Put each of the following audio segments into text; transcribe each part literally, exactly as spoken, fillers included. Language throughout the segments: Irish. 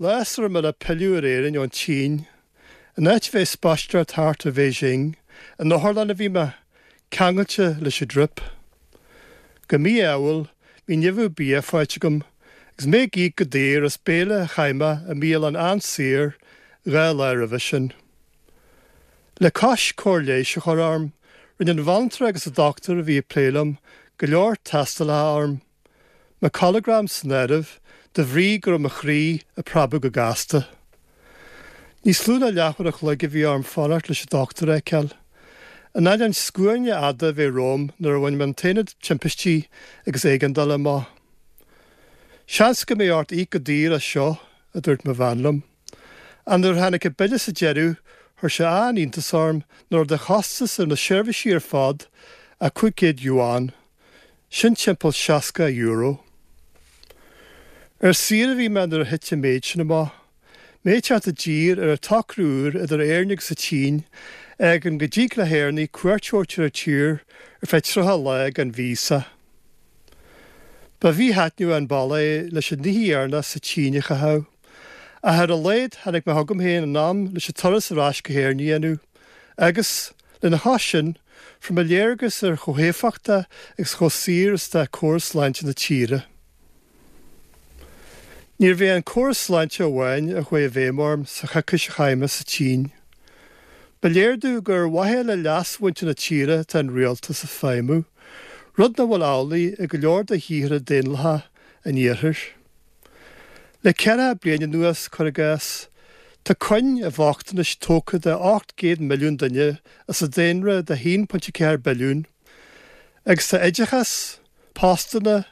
Lá sula raibh mé le pilleadh ar Éirinn ón tSín, in áit a bheith ag spaisteoireacht thart ar Bheijing, in otharlann a bhí mé, ceangailte leis an drip. Go mí-ádhúil, bhí nimhiú bia faighte agam, agus mé ag íoc go daor as béile a chaith mé i mbialann an-saor dhá lá roimhe sin. Le cois cóir leighis a chur orm, rinne an bhanaltra agus an dochtúir a bhí ag plé liom go leor tástálacha orm, mo cholagram san áireamh, de bhrí go raibh mo chroí ag preabadh go gasta. Níos lú ná leathuair a chloig a bhí orm fanacht leis an dochtúir a fheiceáil. In ainneoin scuaine fhada a bheith romham nuair a bhain mé an t-aonad timpistí agus éigeandála amach. Seans go mbeidh ort íoc go daor as seo, a dúirt mo bhean liom. Ach nuair a tháinig an bille sa deireadh, chuir sé an-iontas orm nach raibh de chostas ar na seirbhísí ar fad ach cúig chéad yuan. Sin timpeall seasca euro. Ar saoire a bhí mé nuair a thit an méid sin amach. Mé ag teacht i dtír ar an tsocrú úr idir Éirinn agus an tSín, a fhágann go dtig le hÉireannaigh cuairt a thabhairt ar an tír ar feadh tríocha lá gan víosa. Ba mhíthaitneamhach an bealach é leis an oíche dheireanach sa tSín a chaitheamh, ach ar a laghad tháinig mé chugam féin in am leis an turas ar ais go hÉirinn a dhéanamh agus, lena chois sin, fuair mé léargas ar chomh héifeachtach agus chomh saor is atá córas sláinte na tíre. Níorbh é an córas sláinte amháin a chuaigh i bhfeidhm orm sa choicís a chaith mé sa tSín. Ba léir domh gur ar mhaithe le leas mhuintir na tíre atá an rialtas ag feidhmiú, rud nach bhfuil amhlaidh i go leor de thíortha daonlathacha an Iarthair. Le ceathracha bliain anuas, cuir i gcás, tá cuing an bhochtanais tógtha de ocht gcéad milliún duine as an daonra de haon pointe ceathair billiún, agus tá oideachas, postanna,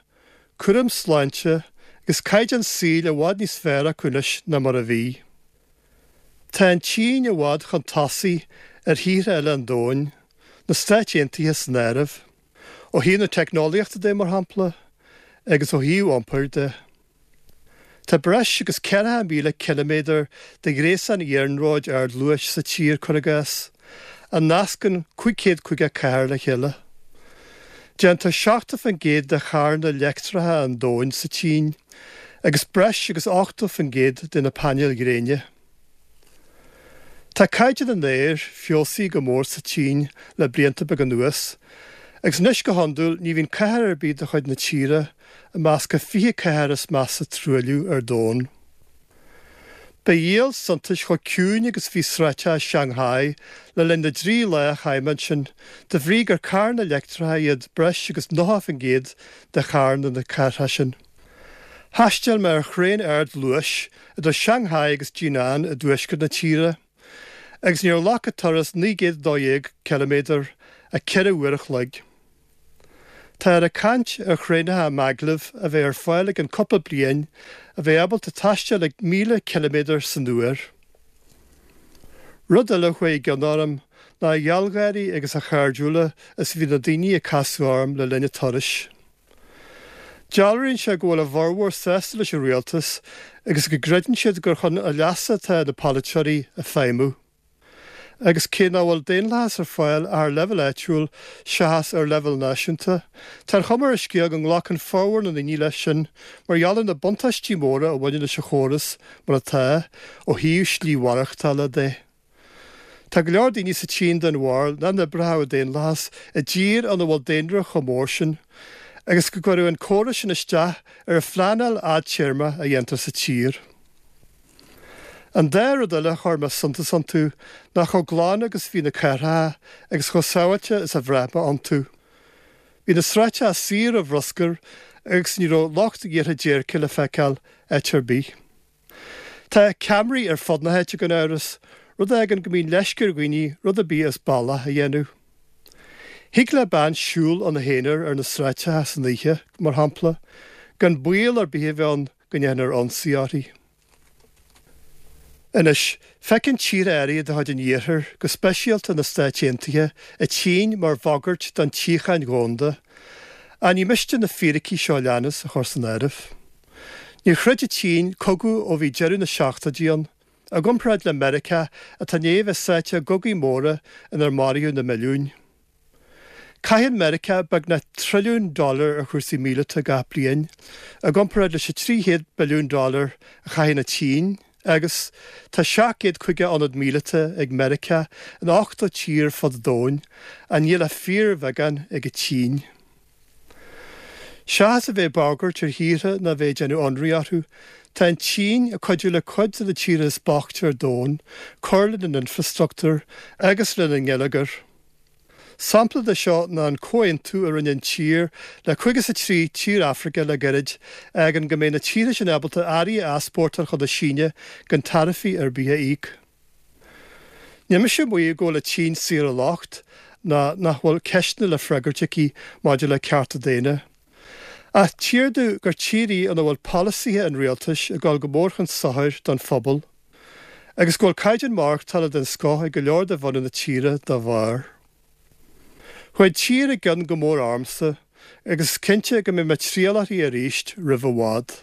cúram sláinte agus caighdeán saoil i bhfad níos fearr acu anois ná mar a bhí. Tá an tSín i bhfad chun tosaigh ar thíortha eile an domhain, na Stáit Aontaithe san áireamh, ó thaobh na teicneolaíochta de, mar shampla, agus ó thaobh iompair de. Tá breis agus ceathracha míle ciliméadar de ghréasán iarnróid ardluais sa tír, cuir i gcás, a nascann cúig chéad caoga cathair le chéile. Déantar seachtó faoin gcéad de charranna leictreacha an domhain sa tSín, agus breis agus ochtó faoin gcéad de na painéil ghréine. Tá caighdeán an aeir feabhsaithe go mór sa tSín le blianta beaga anuas, agus anois go hiondúil ní bhíonn cathair ar bith de chuid na tíre i measc an fiche cathair is measa truailliú ar domhan. Ba dhíol suntais chomh ciúin agus a bhí sráideacha Shanghai le linn na dtrí lá a chaith mé ansin, de bhrí gur carranna leictreacha iad breis agus nócha faoin gcéad de charranna na cathrach sin. Thaistil mé ar thraein ardluais idir Shanghai agus Jinan i dtuaisceart na tíre, agus níor ghlac an turas naoi gcéad a dó dhéag ciliméadar ach ceithre uair a chloig. Táthar ag caint ar thraenacha maglev a bheidh ar fáil i gceann cúpla bliain a bheidh ábalta taisteal ag míle ciliméadar san uair. Rud eile a chuaigh i gcion orm ná a ghealgháirí agus a chairdiúla is a bhí na daoine a casadh orm le linn an turais. Dealraíonn sé go bhfuil a bhformhór sásta leis an rialtas agus go gcreideann siad gur chun a leasa atá na polaiteoirí ag feidhmiú. Agus cé nach bhfuil daonlathas ar fáil ach ar leibhéal áitiúil seachas ar leibhéal náisiúnta, tá an chuma ar an scéal go nglacann formhór na ndaoine leis sin mar gheall ar na buntáistí móra a bhaineann leis an chóras mar atá ó thaobh slí mhaireachtála de. Tá go leor daoine sa tSín den bharúil nach n-oibreodh an daonlathas i dtír ina bhfuil daonra chomh mór sin agus go gcuirfeadh an córas sin isteach ar an phleanáil fhadtéarmach a dhéantar sa tír. An dá rud eile a chuir mé suntas iontu ná chomh glan agus a bhí na cathracha agus chomh sábháilte is a bhraith mé iontu. Bhí na sráideacha saor ó bhruscar agus ní raibh lucht iarrtha déirce le feiceáil áit ar bith. Tá ceamaraí ar fud na háite gan amhras, rud a fhágann go mbíonn leisce ar dhaoine rud ar bith as bealach a dhéanamh. Thig le bean siúl ina haonar ar na sráideacha san oíche, mar shampla, gan baol ar bith a bheith ann go ndéanfar ionsaí uirthi. Anois, feiceann tíortha áirithe de chuid an Iarthair, go speisialta na Stáit Aontaithe, an tSín mar bhagairt don tsíocháin dhomhanda, ach ní miste na fíricí seo a leanas a chur san áireamh. Níor throid an tSín cogadh ó bhí deireadh na seachtóidí ann, i gcomparáid le Meiriceá atá i ndiaidh a bheith sáite i gcogaí móra inar maraíodh na milliúin. Caitheann Meiriceá beagnach trilliún dollar ar chúrsaí míleata gach bliain, i gcomparáid leis an trí chéad billiún dollar a chaitheann an tSín, agus tá seacht gcéad caoga ionad míleata ag Meiriceá in ochtó tír fud an domhain, ach níl ach fíorbheagán ag an tSín. Seachas a bheith ag bagairt ar thíortha ná bheith ag déanamh ionraí orthu, tá an tSín ag cuidiú le cuid de na tíortha is boichte ar domhan cur lena n-infreastruchtúr agus lena ngeilleagar. Sampla de seo ná an comhaontú a rinne an tír le caoga is a trí tír Afraice le gairid a fhágann go mbeidh na tíortha sin ábalta earraí a easpórtáil chun na Síne gan taraifí ar bith a íoc. Níl mise ag maíomh go bhfuil an tSín saor ó locht ná nach bhfuil ceisteanna le freagairt aici maidir le cearta daonna. Ach tchítear domh gur tír í ina bhfuil polasaithe an rialtais ag dul go mór chun sochair don phobal, agus go bhfuil caighdeán maireachtála den scoth ag go leor de bhunadh na tíre dá bharr. Chuaigh an tír i gcion go mór ormsa, agus is cinnte go mbeidh mé ag triall uirthi arís roimh i bhfad.